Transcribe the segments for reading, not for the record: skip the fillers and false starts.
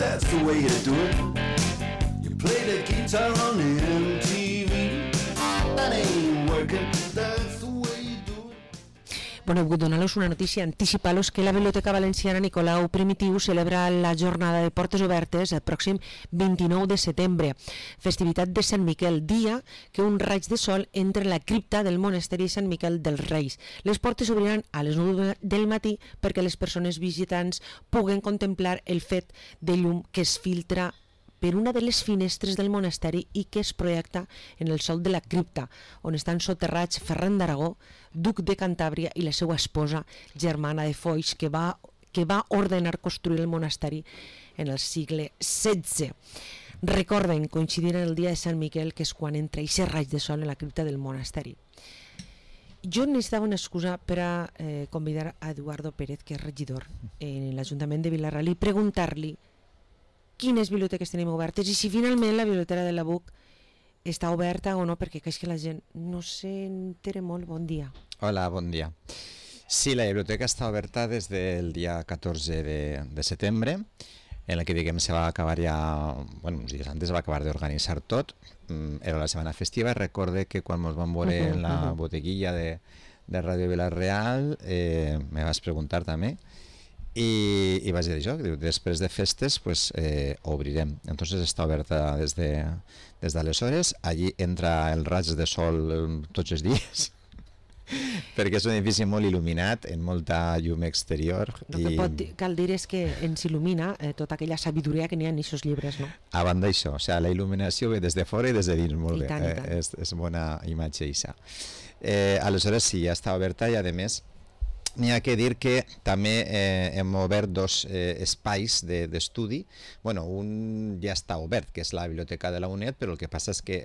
that's the way you do it. You play the guitar on MTV. That ain't working, that's the way you do it. Bueno, vull donar-los una notícia, anticipar-los que la Biblioteca Valenciana Nicolau Primitiu celebra la jornada de portes obertes el pròxim 29 de setembre, festivitat de Sant Miquel, dia que un raig de sol entra en la cripta del monasteri Sant Miquel dels Reis. Les portes s'obriran a les 9 del matí perquè les persones visitants puguen contemplar el fet de llum que es filtra per una de les finestres del monasteri i que es projecta en el sòl de la cripta, on estan soterrats Ferran d'Aragó, duc de Cantàbria, i la seva esposa, Germana de Foix, que va ordenar construir el monasteri en el segle XVI. Recorden, coincidir en el dia de Sant Miquel, que és quan entra aquest raig de sol en la cripta del monasteri. Jo necessitava una excusa per a convidar a Eduardo Pérez, que és regidor en l'Ajuntament de Vila-real, i preguntar-li quines biblioteques tenim obertes i si finalment la biblioteca de la BUC està oberta o no, perquè és que la gent no s'entera molt. Bon dia. Hola, bon dia. Sí, la biblioteca està oberta des del dia 14 de setembre, en la que se va acabar ja, bueno, uns dies antes va acabar d'organitzar tot. Era la setmana festiva. Recorde que quan ens vam veure en la boteguilla de Ràdio Vila-real me vas preguntar també i vaig dir això, que després de festes pues, obrirem. Entonces està oberta des d'aleshores. Allí entra el raig de sol tots els dies perquè és un edifici molt il·luminat, amb molta llum exterior. El que cal dir és que ens il·lumina tota aquella sabidoria que n'hi ha en aquests llibres, no? A banda d'això, o sigui, la il·luminació ve des de fora i des de dins, molt bé. Tant. És bona imatge, això. Aleshores sí, ja està oberta i a més n'hi ha que dir que també hem obert dos espais d'estudi. Bueno, un ja està obert, que és la biblioteca de la UNED, però el que passa és que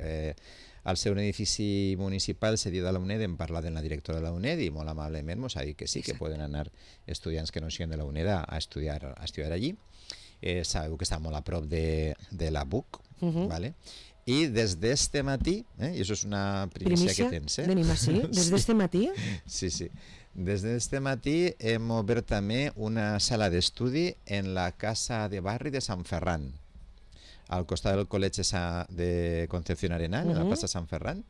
al ser un edifici municipal cedit a la UNED hem parlat amb la directora de la UNED i molt amablement ens ha dit que sí, que poden anar estudiants que no siguin de la UNED a estudiar allí. Sabeu que està molt a prop de la BUC, ¿vale? I des d'este matí, i això és una primícia que tens, Venim així, des d'este matí? Sí. Des d'este matí hem obert també una sala d'estudi en la Casa de Barri de Sant Ferran, al costat del Col·legi de Concepción Arenal, en la plaça Sant Ferran.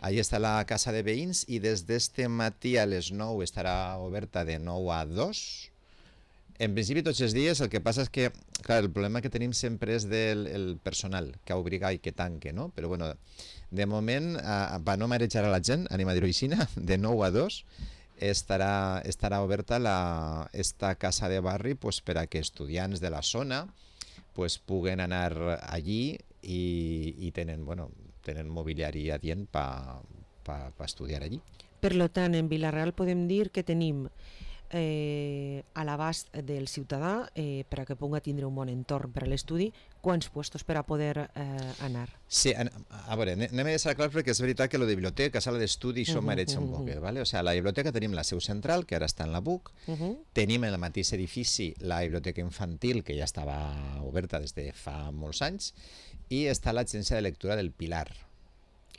Allí està la casa de veïns i des d'este matí a les 9 estarà oberta de 9 a 2. En principi tots els dies. El que passa és que, clar, el problema que tenim sempre és del personal, que obliga i que tanque, no? Però bueno, de moment, per no marejar a la gent, anem a dir-ho així, de 9 a 2 estarà oberta esta casa de barri pues, per a que estudiants de la zona pues, puguen anar allí i tenen mobiliari adient per estudiar allí. Per tant, en Vila-real podem dir que tenim a l'abast del ciutadà per a que pugui tindre un bon entorn per a l'estudi, quants puestos per a poder anar? Sí, a veure, anem a deixar clar perquè és veritat que la biblioteca, sala d'estudi, això mareja un poc, ¿vale? O sea, la biblioteca tenim la seu central, que ara està en la BUC, tenim en el mateix edifici la biblioteca infantil, que ja estava oberta des de fa molts anys, i està l'agència de lectura del Pilar.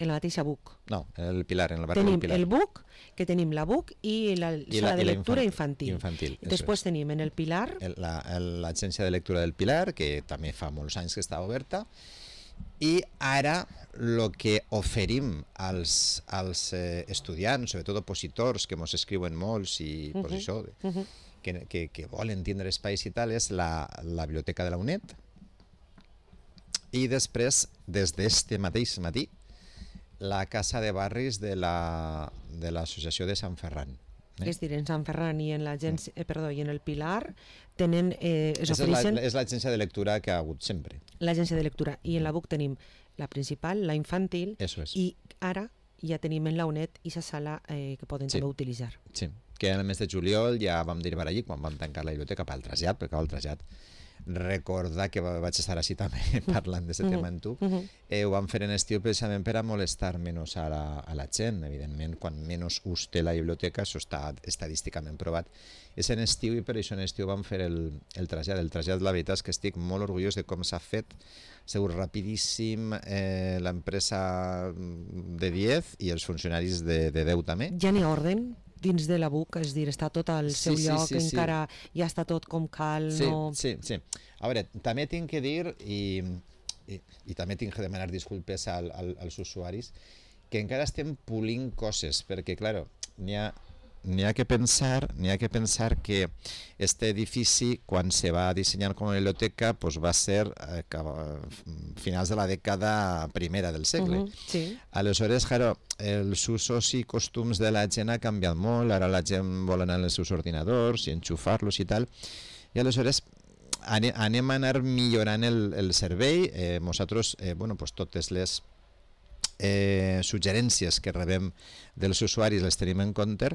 En la mateixa BUC? No, el Pilar, en el barri del Pilar. Tenim el BUC, que tenim la BUC i la sala de lectura infantil. Després tenim en el Pilar l'agència de lectura del Pilar, que també fa molts anys que està oberta, i ara el que oferim als estudiants, sobretot opositors, que ens escriuen molts i pues això, que volen tindre espais i tal, és la biblioteca de la UNED, i després, des d'este mateix matí, la casa de barris de l'associació de Sant Ferran. És dir, en Sant Ferran i en el Pilar tenen... És l'agència de lectura que ha hagut sempre. L'agència de lectura. I en la BUC tenim la principal, la infantil, i ara ja tenim en la UNED i la sala que poden també utilitzar. Sí, que en el mes de juliol ja vam derivar allí quan vam tancar la biblioteca pel trasllat, perquè el trasllat recordar que vaig estar així també parlant d'aquest tema amb tu. Ho vam fer en estiu precisament per a molestar menys a la gent. Evidentment, quan menys ús té la biblioteca, això està estadísticament provat, és en estiu, i per això en estiu vam fer el trasllat. El trasllat, la veritat és que estic molt orgullós de com s'ha fet. Ha sigut rapidíssim, l'empresa de 10 i els funcionaris de 10 també. Ja n'hi ha orden? dins de la BUC, és dir, està tot al seu lloc, encara ja està tot com cal. Sí, no... sí. A veure, també tinc que dir, i també tinc que demanar disculpes als usuaris, que encara estem polint coses, perquè, clar, n'hi ha que pensar que este edifici, quan se va dissenyar com a biblioteca, pues va ser a finals de la dècada primera del segle. Sí. Aleshores, claro, els usos i costums de la gent ha canviat molt, ara la gent vol anar als seus ordinadors i enxufar-los i tal, i aleshores anem a anar millorant el servei. Nosaltres, pues totes les suggerències que rebem dels usuaris les tenim en compte,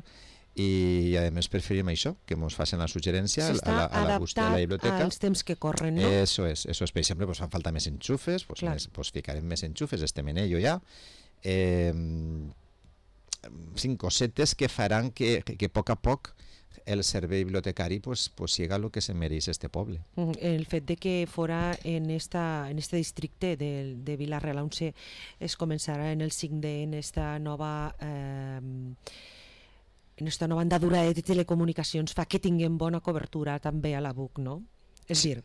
i a més preferim això, que ens facin la suggerència a la gust de la biblioteca. S'està adaptat als temps que corren, no? Eso es. Per exemple, fan falta més enxufes, ficarem més enxufes, estem en ello ja. 5 cosetes que faran que a poc el servei bibliotecari siga el que se mereix este poble. El fet de que fora en este districte de Vila-real on es començarà en el 5D, en esta nova andadura de telecomunicacions, fa que tinguem bona cobertura també a la BUC, no? És dir,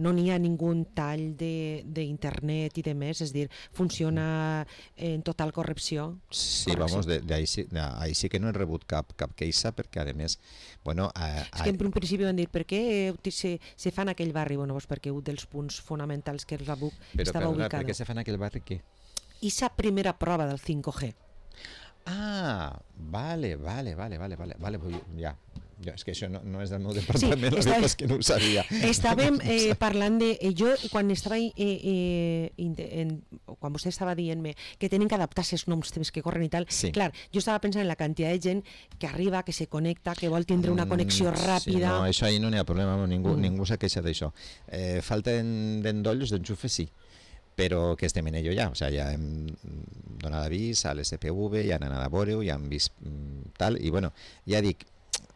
no n'hi ha ningú tall d'internet i de més, és dir, funciona en total correcció. Sí, ahí sí que no he rebut cap queixa, perquè a més, és que en principi van dir, per què se fa en aquell barri? Perquè un dels punts fonamentals que la BUC estava ubicada. Per què se fa en aquell barri què? I la primera prova del 5G. Ah, vale, pues ja. És que això no és del meu departament, sí, és que no ho sabia. Estàvem parlant de... Jo, quan estava... quan vostè estava dient-me que tenen que adaptar-se als noms temps que corren i tal, sí. Clar, jo estava pensant en la quantitat de gent que arriba, que se connecta, que vol tindre una connexió ràpida... Sí, no, això ahí no n'hi ha problema, ningú s'ha queixat d'això. Falta d'endolls, d'enxufes, sí, però que estem en ello ja, ja hem donat avís a l'SPV, ja han anat a veure-ho, ja han vist tal, i ja dic,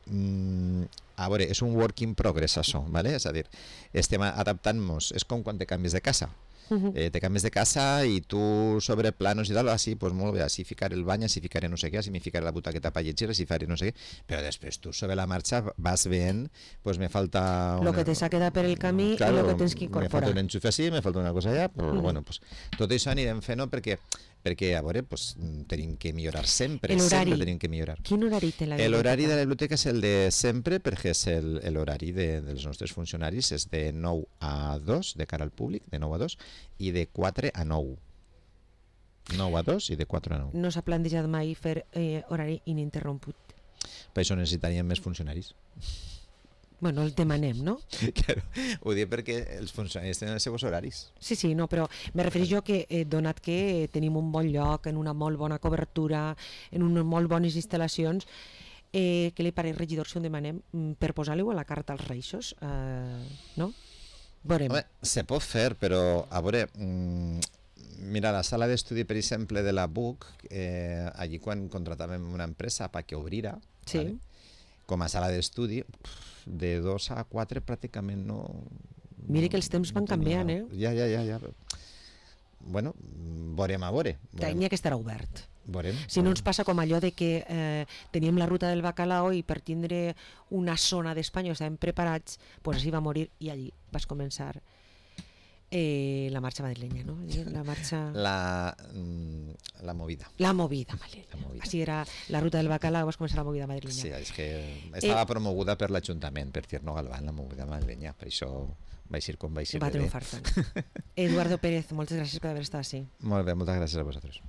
a veure, és un work in progress això, ¿vale? És a dir, estem adaptant-nos, és com quan te canvies de casa. Te canvies de casa i tu sobre planos i tal, així, doncs molt bé, així ficaré el bany, així ficaré no sé què, així me ficaré la butaqueta per llegir, així faré no sé què, però després tu sobre la marxa vas veient, doncs me falta... Lo que te s'ha quedat per el camí i lo que tens que incorporar. Me falta un enxufe així, me falta una cosa allà, però pues, tot això anirem fent perquè a veure, tenim que millorar sempre tenim que millorar. Quin horari té la biblioteca? L'horari de la biblioteca és el de sempre, perquè és l'horari dels nostres funcionaris, és de 9 a 2, de cara al públic, de 9 a 2, i de 4 a 9. 9 a 2 i de 4 a 9. No s'ha plantejat mai fer horari ininterromput? Per això necessitaríem més funcionaris. Bueno, el demanem, no? Claro, ho dic perquè els funcionaris tenen els seus horaris. Sí, no, però me refereixo que donat que tenim un bon lloc, en una molt bona cobertura, en unes molt bones instal·lacions, què li pareix, regidor, si ho demanem per posar-li a la carta als reixos? No? Veurem. Home, se pot fer, però a veure, mira, la sala d'estudi, per exemple, de la BUC, allí quan contratàvem una empresa perquè obrira, sí. ¿vale? Com a sala d'estudi, de 2 a 4 pràcticament no... Mira que els temps van canviant, Ja. Bueno, veurem a veure. Tenia que estar obert. Veurem. Si no ens passa com allò de que teníem la ruta del bacalao i per tindre una zona d'Espanya estàvem preparats, doncs així va morir i allí vas començar la marxa madrilenya, no? La marxa... La movida. La movida madrilenya. Així era la ruta del bacalao, vas començar la movida madrilenya. Sí, és que estava promoguda per l'Ajuntament, per Tierno Galván, la movida madrilenya, per això va ser com va ser. Va triomfar tant. Eduardo Pérez, moltes gràcies per haver estat així. Molt bé, moltes gràcies a vosaltres.